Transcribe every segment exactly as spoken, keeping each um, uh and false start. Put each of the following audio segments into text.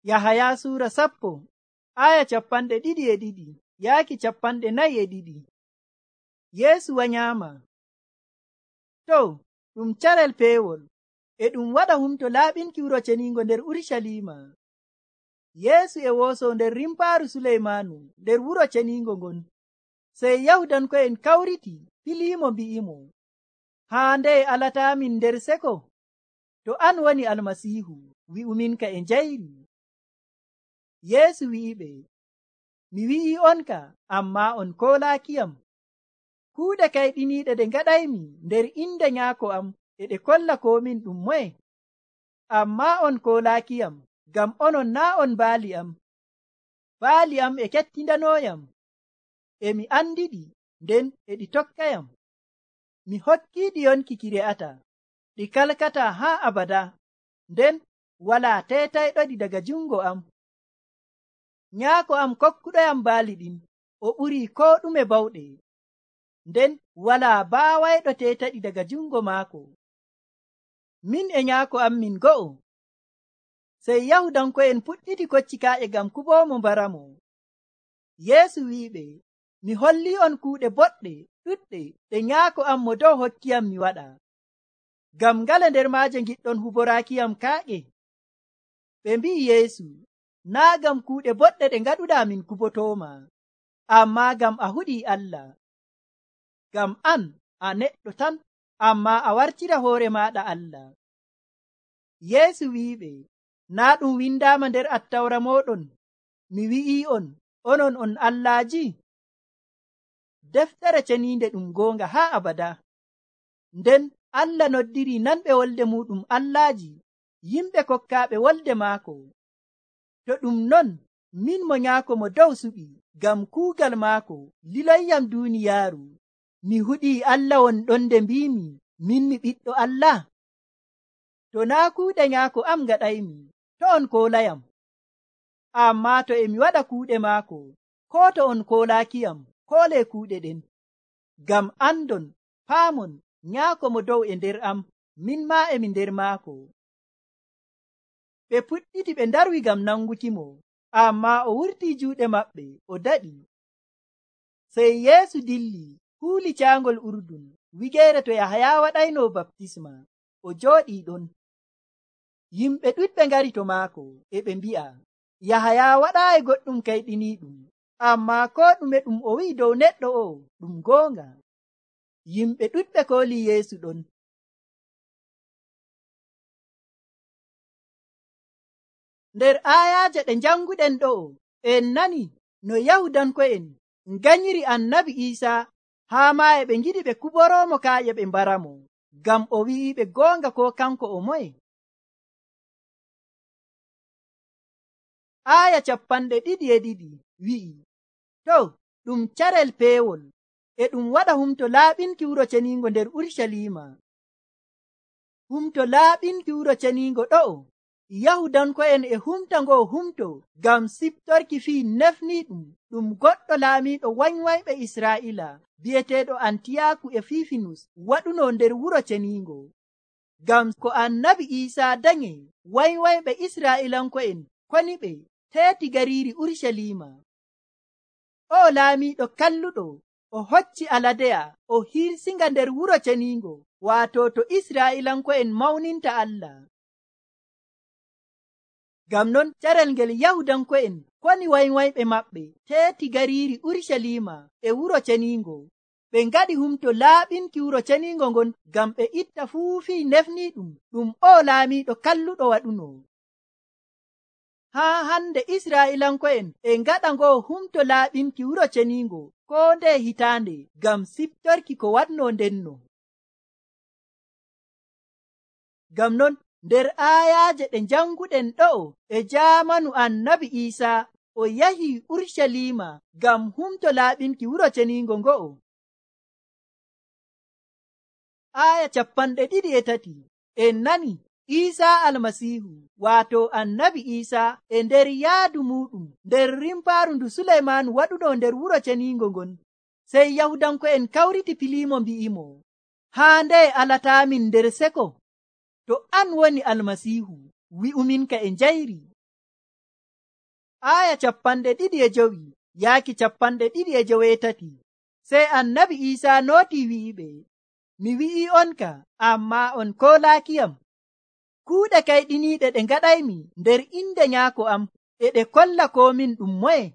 Yahaya suura sappo aya capanɗe ɗiɗi e ɗiɗi yaaki capanɗe nayi e ɗiɗi. Yeesu wanyaama. To ɗum carel peewol e ɗum waɗa humto laaɓinki wuro ceniingo nder Urusalima. Yeesu e wooso nder rimpaaru Suleymaanu nder wuro ceniingo ngon. Sey Yahudanko'en kawriti filiimo mbi'imo, haa nde alataamin nder seko? To an woni Almasiihu, wi'uminka e njayri. Yeesu wi'iɓe, mi wi'i'onka, ammaa on koolaakiyam. Kuuɗe kayɗiniiɗe ɗe ngaɗaymi nder inde Nyaako am e ɗe kolla komin ɗum moye. Ammaa on koolaakiyam, ngam onon naa' on baali am. Baali am e kettindanooyam, e mi andiɗi, nden e ɗi tokkayam. Mi hokkiiɗi yonki ki re'ata, ɗi kalkata haa abada, nden walaa teetayɗoɗi daga jungo am. Nyaako am kokkuɗoyam baali ɗin, o ɓurii koo ɗume bawɗe, nden walaa baawayɗo teetaɗi daga jungo maako. Min e Nyaako am min go'o. Sey Yahudanko'en puɗɗiti koccikaaƴe ngam kuɓoomo mbaramo. Yeesu wi'iɓe, mi holli'on kuuɗe boɗɗe ɗuɗɗe ɗe Nyaako am mo dow hokkiyam mi waɗa. Ngam ngale nder maaje ngiɗɗon huboraakiyam kaaƴe? Ɓe mbi'i Yeesu, naa' ngam kuuɗe boɗɗe ɗe ngaɗuɗaa min kubotooma, ammaa ngam a huɗii Allah. Ngam an a neɗɗo tan, ammaa a wartira hoore maaɗa Allah. Yeesu wi'iɓe, naa' ɗum windaama nder Attawra mooɗon, mi wi'ii'on, onon on allaaji? Deftere ceniinde ɗum goonga haa abada. Nden Allah noddirii nanɓe wolde muuɗum allaaji, yimɓe kokkaaɓe wolde maako. To ɗum non, min mo Nyaako mo dow suɓi, ngam kuugal maako liloyyam duuniyaaru, mi huɗii Allah won ɗon nde mbiimi, min mi ɓiɗɗo Allah? To naa' kuuɗe Nyaako am ngaɗaymi, to on koolayam. Ammaa to e mi waɗa kuuɗe maako, koo to on koolaakiyam, koolee kuuɗe ɗen. Ngam andon, paamon, Nyaako mo dow e nder am, min maa e mi nder maako. Ɓe puɗɗiti ɓe ndarwi ngam nangukimo, ammaa o wurtii juuɗe maɓɓe o daɗi. Sey Yeesu dilli huuli caangol Urdun, wigeere to Yahaya waɗayno baptisma, o jooɗii ɗon. Yimɓe ɗuɗɓe ngari to maako, e ɓe mbi'a, Yahaya waɗaayi goɗɗum kayɗiniiɗum, ammaa koo ɗume ɗum o wi'i dow neɗɗo o ɗum goonga. Yimɓe ɗuɗɓe kooli Yeesu ɗon. Nder aayaaje ɗe njanguɗen ɗo'o, en nani no Yahudanko'en nganyiri annabi Iisaa haa maa e ɓe ngiɗi ɓe kuboroomo kaaƴe ɓe mbaramo, ngam o wi'iɓe goonga koo kanko o moye. Aaya capanɗe ɗiɗi e ɗiɗi wi'i, to ɗum carel peewol e ɗum waɗa humto laaɓinki wuro ceniingo nder Urusalima. Humto laaɓinki wuro ceniingo ɗo'o, Yahudanko'en e humta ngoo humto ngam siftorki fii nefniiɗum ɗum goɗɗo laamiiɗo wanywayɓe Israa'iila bi'eteeɗo Antiyaaku Efifinus waɗuno nder wuro ceniingo. Ngam ko annabi Iisaa danye, wanywayɓe Israa'iilanko'en koni ɓe teeti gariiri Urusalima. O laamiiɗo kalluɗo o hocci aladeya o hirsinga nder wuro ceniingo, waato to Israa'iilanko'en mawninta Allah. Ngam non carel ngel Yahudanko'en koni wanywayɓe maɓɓe teeti gariiri Urusalima e wuro ceniingo, ɓe ngaɗi humto laaɓinki wuro ceniingo ngon ngam ɓe itta fuu fii nefniiɗum ɗum o laamiiɗo kalluɗo waɗuno. Haa hande Israa'iilanko'en e ngaɗa ngoo humto laaɓinki wuro ceniingo koo nde hitaande ngam siftorki ko waɗno ndenno. Ngam non nder aayaaje ɗe njanguɗen ɗo'o e jaamanu annabi Iisaa o yahi Urusalima ngam humto laaɓinki wuro ceniingo ngo'o. Aaya capanɗe ɗiɗi e tati en nani Iisaa Almasiihu waato annabi Iisaa e nder yaadu muɗum nder rimpaaru ndu Suleymaanu waɗuno nder wuro ceniingo ngon. Sey Yahudanko'en kawriti piliimo mbi'imo, haa nde alataamin nder seko? To an woni Almasiihu, wi'uminka e njayri. aya capanɗe ɗiɗi e jowi yaaki capanɗe ɗiɗi e joweetati. Sey annabi Iisaa nooti wi'iɓe, mi wi'i on ka, amma on koolaakiyam. Kuuɗe kayɗiniiɗe ɗe ngaɗaymi nder inde nyaako am e ɗe kolla ko min ɗum moye,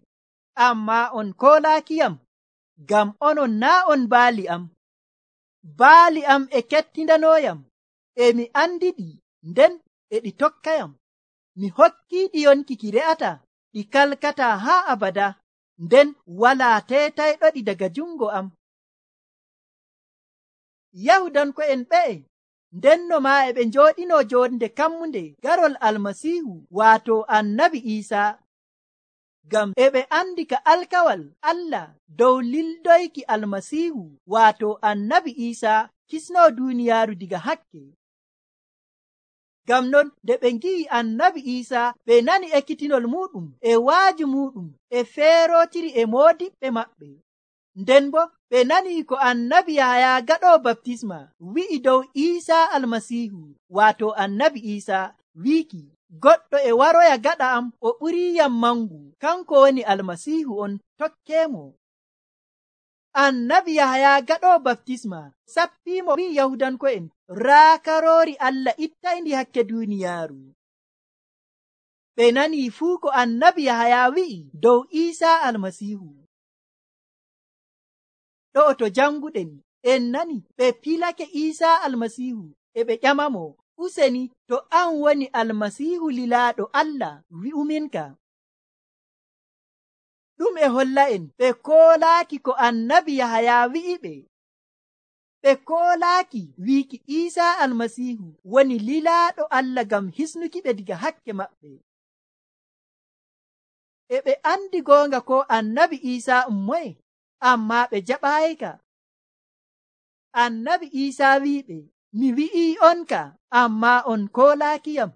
amma on koolaakiyam, ngam onon naa on baali am. Baali am e kettindanooyam, e mi andiɗi, nden e ɗi tokkayam. Mi hokkiiɗi yonki ki re'ata, ɗi kalkata haa abada, nden walaa teetayɗoɗi daga jungo am. Yahudanko'en ɓe'e ndenno maa e ɓe njooɗinoo joonde kammunde garol Almasiihu waato annabi Iisaa, ngam e ɓe andi ka alkawal Allah dow lildoyki Almasiihu waato annabi Iisaa kisnoo duuniyaaru diga hakke. Ngam non nde ɓe ngi'i annabi Iisaa ɓe nani ekkitinol muɗum e waaju muɗum e feerootiri e moodiɓɓe maɓɓe. Nden bo ɓe nani ko annabi Yahaya gaɗoo baptisma wi'i dow Iisaa Almasiihu waato annabi Iisaa wiiki, goɗɗo e waroya gaɗa am o ɓuriiyam mangu, kanko woni Almasiihu on, tokkeemo. Annabi Yahaya gaɗoo baptisma sappiimo wi'i Yahudanko'en, raa karoori Allah ittayndi hakke duuniyaaru. Ɓe nani fuu ko annabi Yahaya wi'i dow Iisaa Almasiihu. Ɗo to janguɗen en nani ɓe pilake Iisaa Almasiihu e ɓe ƴamamo, useni to an woni Almasiihu lilaaɗo Allah wi'uminka. Ɗum e holla en ɓe koolaaki ko annabi Yahaya wi'iɓe. Ɓe koolaaki wiiki Iisaa Almasiihu woni lilaaɗo Allah ngam hisnuki ɓe diga hakke maɓɓe. E ɓe andi goonga ko annabi Iisaa um moye, amma ɓe jaɓaayika. Annabi Iisaa wi'iɓe, mi wi'ii on ka, amma on koolaakiyam.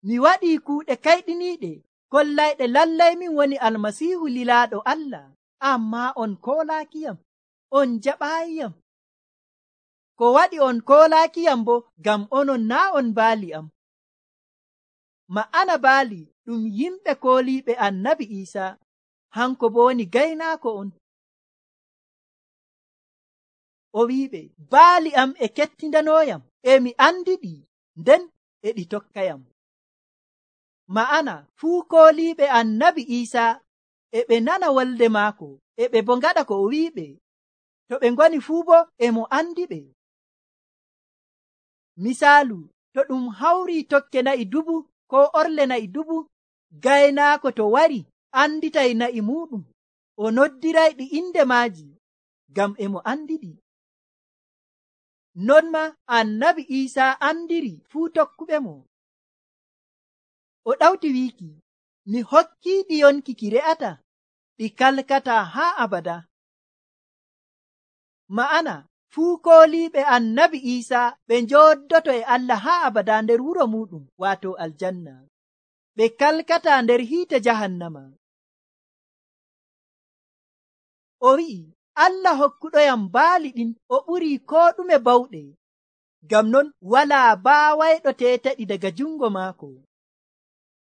Mi waɗii kuuɗe kayɗiniiɗe kollayɗe lallay min woni Almasiihu lilaaɗo Allah, amma on koolaakiyam, on jaɓaayiyam. Ko waɗi on koolaakiyam bo ngam onon naa on baali am. Ma'ana baali ɗum yimɓe kooliiɓe annabi Iisaa, hanko bo woni gaynaako on. O wi'iɓe, baali am e kettindanooyam, e mi andiɗi, nden e ɗi tokkayam. Ma'ana fuu kooliiɓe annabi Iisaa e ɓe nana wolde maako, e ɓe bo ngaɗa ko o wi'iɓe. To ɓe ngoni fuu bo e mo andiɓe. Misaalu, to ɗum hawrii tokke na'i dubu ko orle na'i dubu, gaynaako to wari anditay na'i muɗum, o noddirayɗi inde maaji, ngam e mo andiɗi. Non ma annabi Iisaa andiri fuu tokkuɓe mo. O ɗawti wiiki, mi hokkiiɗi yonki ki re'ata, ɗi kalkata haa abada. Ma'ana fuu kooliiɓe annabi Iisaa ɓe njooɗoto e Allah haa abada nder wuro muɗum waato aljanna, ɓe kalkata nder hiite jahannama. O wi'i, Allah hokkuɗoyam baali ɗin o ɓurii koo ɗume bawɗe, ngam non walaa baawayɗo teetaɗi daga jungo maako.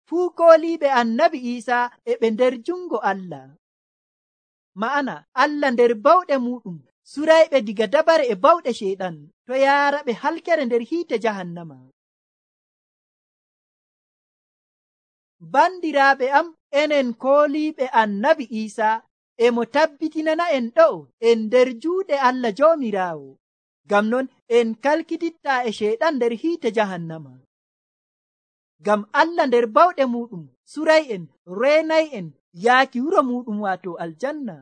Fuu kooliiɓe annabi Iisaa e ɓe nder jungo Allah. Ma'ana Allah nder bawɗe muɗum surayɓe diga dabare e bawɗe ceyɗan, to yaara ɓe halkere nder hiite jahannama. Bandiraaɓe am, enen kooliiɓe annabi Iisaa e mo tabbitinana en ɗo en nder juuɗe Allah Joomiraawo, ngam non en kalkitittaa e ceyɗan nder hiite jahannama. Ngam Allah nder bawɗe muɗum suray'en, reenay'en yaaki wuro muɗum waato aljanna.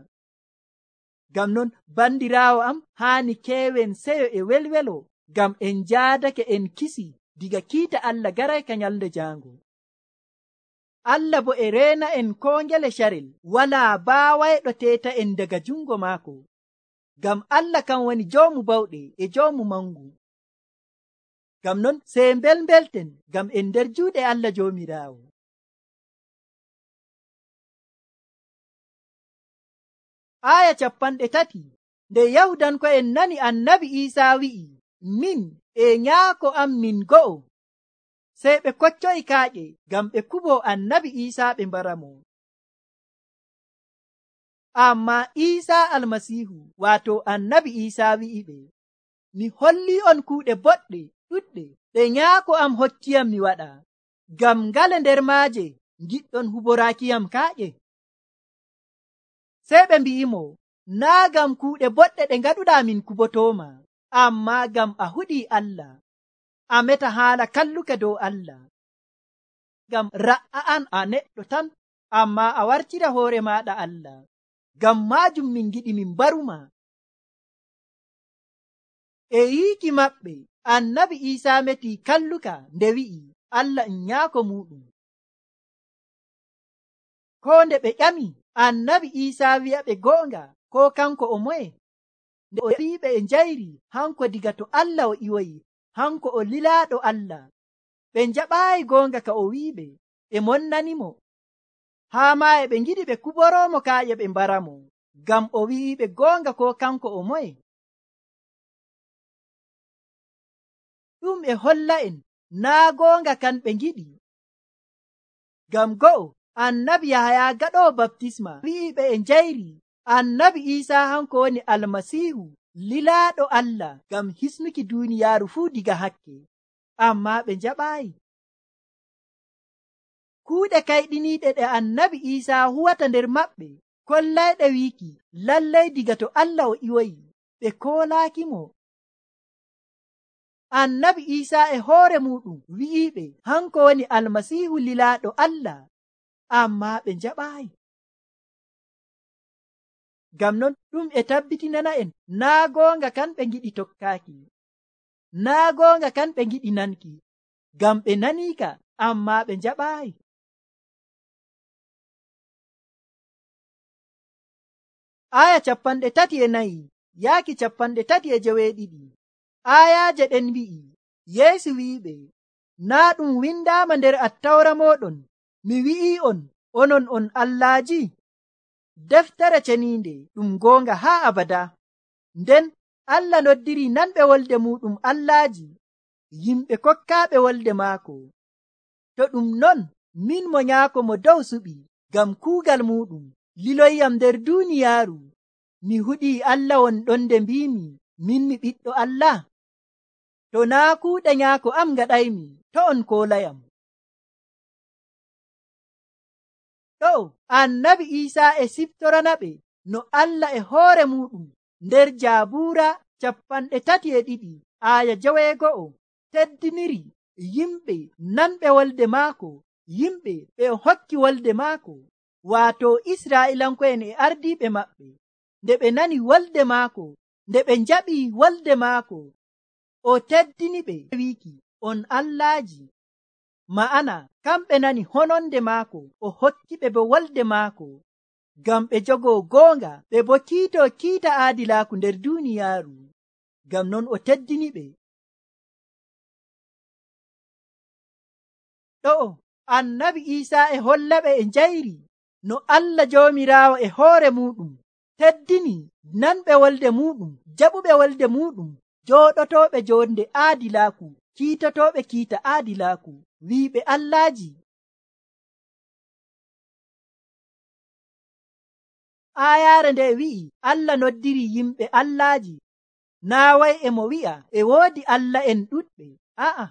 Ngam non bandiraawo am, haani keewen seyo e welwelo, ngam en njaadake en kisi diga kiita Allah garayka nyalde jaango. Allah bo e reena en koo ngele carel, walaa baawayɗo teeta en daga jungo maako, ngam Allah kan woni joomu bawɗe e joomu mangu. Ngam non sey mbelmbelten, ngam en nder juuɗe Allah Joomiraawo. Aya capanɗe tati. Nde Yahudanko'en nani annabi Iisaa wi'i, min e nyaako am min go'o, sey ɓe koccoyi kaaƴe ngam ɓe kubo annabi Iisaa ɓe mbaramo. Amma Iisaa Almasiihu waato annabi Iisaa wi'iɓe, mi holli on kuuɗe boɗɗe ɗuɗɗe ɗe nyaako am hokkiyam mi waɗa. Ngam ngale nder maaje giɗɗon huboraakiyam kaaƴe? Sey ɓe mbi'imo, naa ngam kuuɗe boɗɗe ɗe ngaɗuɗaa min kubotooma, amma ngam a huɗii Allah, a meta haala kalluka dow Allah. Ngam ra'a an a neɗɗo tan, amma a wartira hoore maaɗa Allah. Ngam maajum min giɗi min baruma. E yiiki maɓɓe, annabi Iisaa meti kalluka nde wi'i Allah en nyaako muɗum. Ko nde ɓe ƴami annabi Iisaa wi'aɓe goonga, ko kanko o moye? Nde o wi'iɓe e njayri hanko diga to Allah o iwoyi, hanko o lilaaɗo Allah. Ɓe njaɓaayi goonga ka o wi'iɓe, e monnanimo. Haa maa e ɓe ngiɗi ɓe kuboroomo kaaƴe ɓe mbaramo, ngam o wi'iɓe goonga ko kanko o moye? Ɗum e holla en naa goonga kan ɓe ngiɗi. Ngam go'o annabi Yahaya gaɗoowo baptisma wi'iɓe e njayri annabi Iisaa hanko woni Almasiihu, lilaaɗo Allah ngam hisnuki duuniyaaru fuu diga hakke. Amma ɓe njaɓaayi. Kuuɗe kayɗiniiɗe ɗe annabi Iisaa huwata nder maɓɓe kollayɗe wiiki lallay diga to Allah o iwoyi, ɓe koolaakimo. Annabi Iisaa e hoore muɗum wi'iɓe hanko woni Almasiihu lilaaɗo Allah, amma ɓe njaɓaayi. Ngam non ɗum e tabbitinana en naa goonga kan ɓe ngiɗi tokkaaki, naa goonga kan ɓe ngiɗi nanki, ngam ɓe naniika amma ɓe njaɓaayi. Aya capanɗe tati e nayi yaaki capanɗe tati e joweeɗiɗi. Ayaaje ɗen mbi'i, Yeesu wi'iɓe, naa ɗum windaama nder attawra mooɗon, mi wi'i on, onon on allaaji? Deftere ceniinde ɗum goonga haa abada. Nden Allah noddiri nanɓe wolde muɗum allaaji, yimɓe kokkaaɓe wolde maako. To ɗum non, min mo nyaako mo dow suɓi ngam kuugal muɗum liloyyam nder duuniyaaru, mi huɗii Allah won ɗon nde mbiimi min mi ɓiɗɗo Allah. To naa kuuɗe nyaako am ngaɗaymi, to on koolayam. Ɗo annabi Iisaa e siftoranaɓe no Allah e hoore muɗum nder Jaabuura capanɗe tati e ɗiɗi aya joweego'o teddiniri yimɓe nanɓe wolde maako, yimɓe ɓe hokki wolde maako, waato Israa'ilanko'en e ardiiɓe maɓɓe. Nde ɓe nani wolde maako, nde ɓe njaɓi wolde maako, o teddini ɓe wiiki on allaaji. Ma'ana kamɓe nani hononde maako, o hokki ɓe bo wolde maako ngam ɓe jogoo goonga, ɓe bo kiito kiita aadilaaku nder duuniyaaru. Ngam non o teddini ɓe. Ɗo annabi Iisaa e hollaɓe e njayri no Allah Joomiraawo e hoore muɗum teddini nanɓe wolde muɗum, jaɓuɓe wolde muɗum, jooɗotooɓe jonde aadilaaku, kiitotooɓe kiita aadilaaku, wiiɓe allaaji. Aayaare nde wi'i Allah noddiri yimɓe allaaji, naa way e mo wi'a e woodi Allah en ɗuɗɓe, a'a,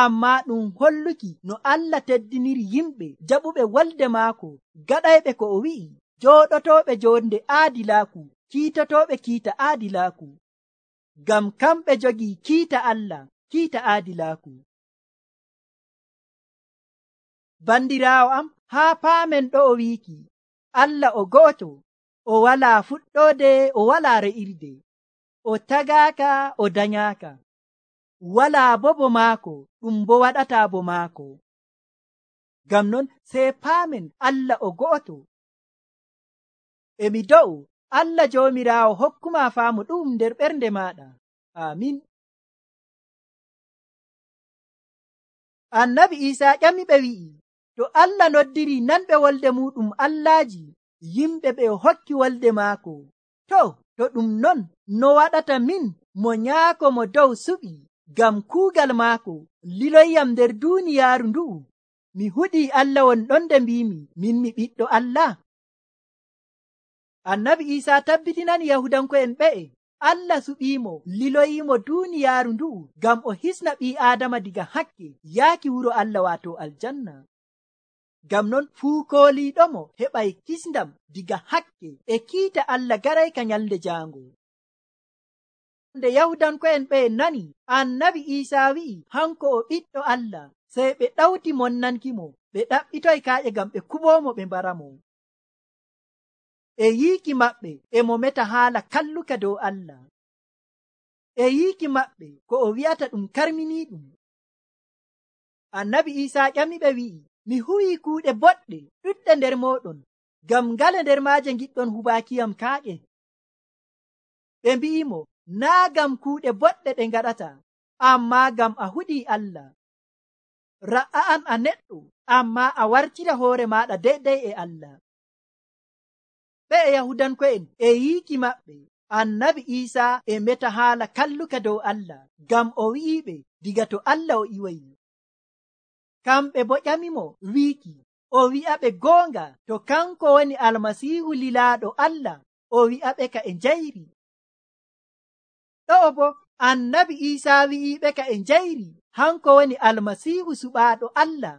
amma ɗum holluki no Allah teddiniri yimɓe jaɓuɓe wolde maako, gaɗayɓe ko o wi'i, jooɗotooɓe jonde aadilaaku, kiitotooɓe kiita aadilaaku, ngam kamɓe jogii kiita Allah, kiita aadilaaku. Bandiraawo am, haa paamen ɗo o wiiki Allah o go'oto, o walaa fuɗɗoode, o walaa re'irde, o tagaaka, o danyaaka, walaa bo bo maako, ɗum bo waɗataa bo maako. Ngam non sey paamen Allah o go'oto. Emi do'u Allah Joomiraawo hokkuma faamu ɗum nder ɓernde maaɗa. Amin. Annabi Iisaa ƴami ɓe wi'i, to Allah noddiri nanɓe wolde muɗum allaaji, yimɓe ɓe hokki wolde maako, to to ɗum non no waɗata min mo nyaako mo dow suɓi ngam kuugal maako liloyyam nder duuniyaaru ndu'u, mi huɗii Allah won ɗon nde mbiimi min mi ɓiɗɗo Allah. Annabi Isa tabbitinani Yahudanko'en ɓe'e Allah suɓiimo liloyiimo duuniyaaru ndu'u ngam o hisna ɓii Aadama diga hakke yaaki wuro Allah waato aljanna. Ngam non fuu kooliiɗomo heɓay kisndam diga hakke e kiita Allah garayka nyalnde jaango. Nde Yahudanko'en ɓe nani Annabi Isa wi'i hanko o ɓiɗɗo Allah, sey ɓe ɗawti monnankimo, ɓe ɗaɓɓitoy kaaƴe ngam ɓe kuɓoomo ɓe mbaramo. E yiiki maɓɓe e mo meta haala kalluka dow Allah. E yiiki maɓɓe ko o wi'ata ɗum karminiiɗum. Annabi Isa ƴamiɓe wi'i, mi huwii kuuɗe boɗɗe ɗuɗɗe nder mooɗon, ngam ngale nder maaje giɗɗon hubaakiyam kaaƴe? Ɓe mbi'imo, naa ngam kuuɗe boɗɗe ɗe ngaɗata, ammaa ngam a huɗii Allah. Ra'a an a neɗɗo, ammaa a wartira hoore maaɗa deydey e Allah. Ɓe e Yahudanko'en e yiiki maɓɓe Annabi Isa e meta haala kalluka dow Allah, ngam o wi'iɓe diga to Allah o iwayi. Kamɓe bo ƴamimo wiiki o wi'aɓe goonga to kanko woni Almasiihu lilaaɗo Allah, o wi'aɓe ka e njayri. Ɗo'o bo Annabi Isa wi'iɓe ka e njayri hanko woni Almasiihu suɓaaɗo Allah.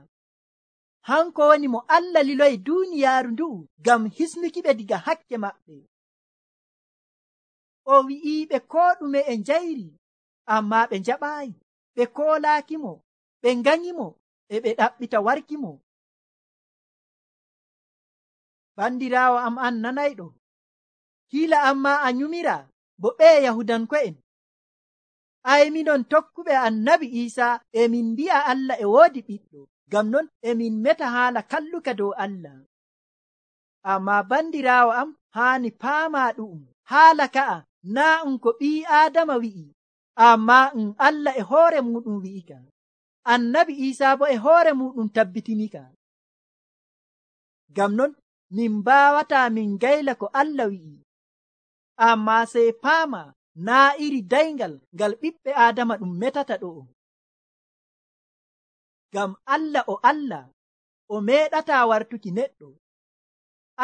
Hanko woni mo Allah liloyi duuniyaaru ndu'u ngam hisnukiɓe diga hakke maɓɓe. O wi'iɓe koo ɗume e njayri, ammaa ɓe njaɓaayi, ɓe koolaakimo, ɓe nganyimo, e ɓe ɗaɓɓita warkimo. Bandiraawo am an nanayɗo, kiila ammaa a nyumira bo ɓe Yahudanko'en. Ay minon tokkuɓe Annabi Isa emin mbi'a Allah e woodi ɓiɗɗo, ngam non emin meta haala kalluka dow Allah. Ammaa bandiraawo am haani paamaa ɗu'um, haala ka'a naa um ko ɓii Aadama wi'i, ammaa um Allah e hoore muɗum wi'ika. Annabi Isa bo e hoore muɗum tabbitinika. Ngam non min mbaawataa min ngayla ko Allah wi'i, ammaa sey paama naa iri dayngal ngal ɓiɓɓe Aadama ɗum metata ɗo'o. Ngam Allah o Allah, o meeɗataa wartuki neɗɗo.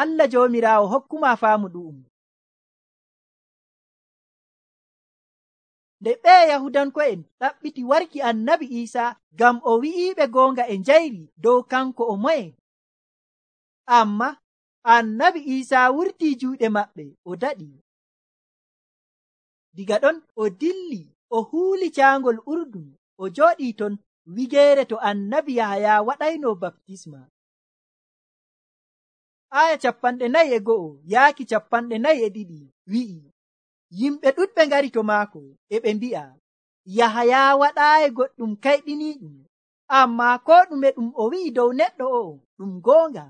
Allah Joomiraawo hokkuma faamu ɗu'um. Nde ɓe Yahudanko'en ɗaɓɓiti warki Annabi Isa ngam o wi'iɓe goonga e njayri dow kanko o moye. Amma Annabi Isa wurtii juuɗe maɓɓe o daɗi. Diga ɗon o dilli o huuli caangol Urdun, o jooɗii ton wigeere to Annabi Yahaya waɗayno baptisma. Aya capanɗe nayi e go'o yaaki capanɗe nayi e ɗiɗi wi'i, yimɓe ɗuɗɓe ngari to maako e ɓe mbi'a, Yahaya waɗaayi goɗɗum kayɗiniiɗum, ammaa ko ɗume ɗum o wi'i dow neɗɗo o'o ɗum goonga.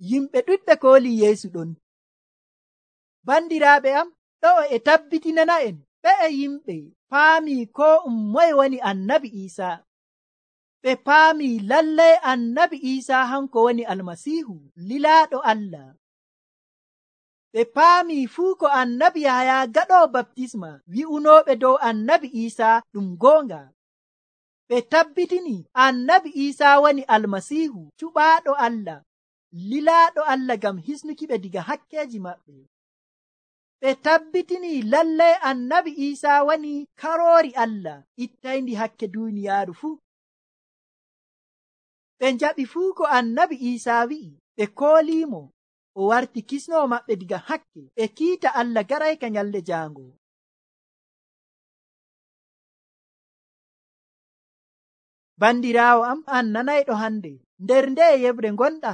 Yimɓe ɗuɗɓe kooli Yeesu ɗon. Bandiraaɓe am, ɗo'o e tabbitinana'en ɓe yimɓe paami ko um moye woni Annabi Isa. Ɓe paami lallay Annabi Isa hanko woni Almasiihu lilaaɗo Allah. Ɓe paami fuu ko Annabi Yahaya gaɗoo baptisma wi'unooɓe dow Annabi Isa ɗum goonga. Ɓe tabbitini Annabi Isa woni Almasiihu cuɓaaɗo Allah, lilaaɗo Allah ngam hisnukiɓe diga hakkeeji maɓɓe. Ɓe tabbitini lallay Annabi Isa woni karoori Allah ittayndi hakke duuniyaaru fuu. Ɓe njaɓi fuu ko Annabi Isa wi'i, ɓe kooliimo, o warti kisnoo maɓɓe diga hakke e kiita Allah garayka nyalde jaango. Bandiraawo am an nanayɗo hande, nder nde yebre gonɗa,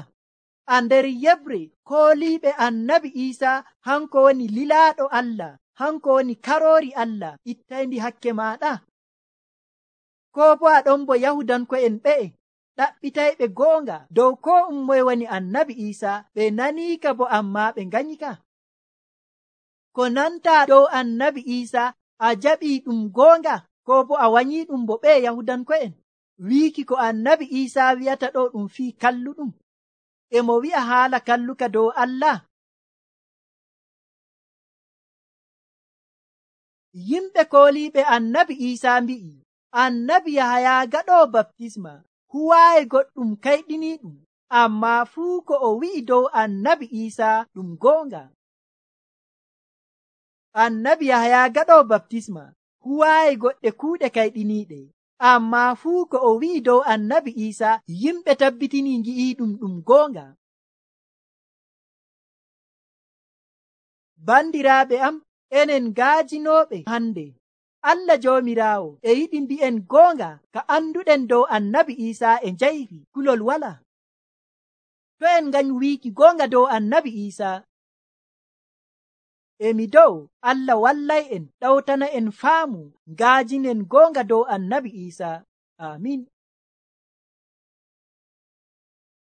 a nder yebre kooliiɓe Annabi Isa hanko woni lilaaɗo Allah, hanko woni karoori Allah ittayndi hakke maaɗa? Ko bo a ɗon bo Yahudanko'en ɓe'e ɗaɓɓitayɓe goonga dow ko um moye woni Annabi Isa, ɓe naniika bo ammaa ɓe nganyika? Ko nanta dow Annabi Isa a jaɓii ɗum goonga, ko bo a wanyii ɗum bo ɓe Yahudanko'en? Wiiki ko Annabi Isa wi'ata ɗo ɗum fii kalluɗum, e mo wi'a haala kalluka dow Allah. Yimɓe kooliiɓe Annabi Isa mbi'i, Annabi Yahaya gaɗoo baptisma huwaayi goɗɗum kayɗiniiɗum, ammaa fuu ko o wi'i dow Annabi Isa ɗum goonga. annabi yahaya gaɗo baptisma huwaayi goɗɗe kuuɗe kayɗiniiɗe, ammaa fuu ko o wi'i dow annabi iisa yimɓe tabbitini ngi'i ɗum ɗum goonga. Bandiraaɓe am, enen gaajinooɓe hande, Allah Joomiraawo e yiɗi mbi'en goonga ka anduɗen dow annabi iisa e njayri kulol wala. To en nganyu wiiki goonga dow annabi iisa, emi dow Allah wallay en ɗawtana en faamu ngaajinen goonga dow annabi iisa. Amin.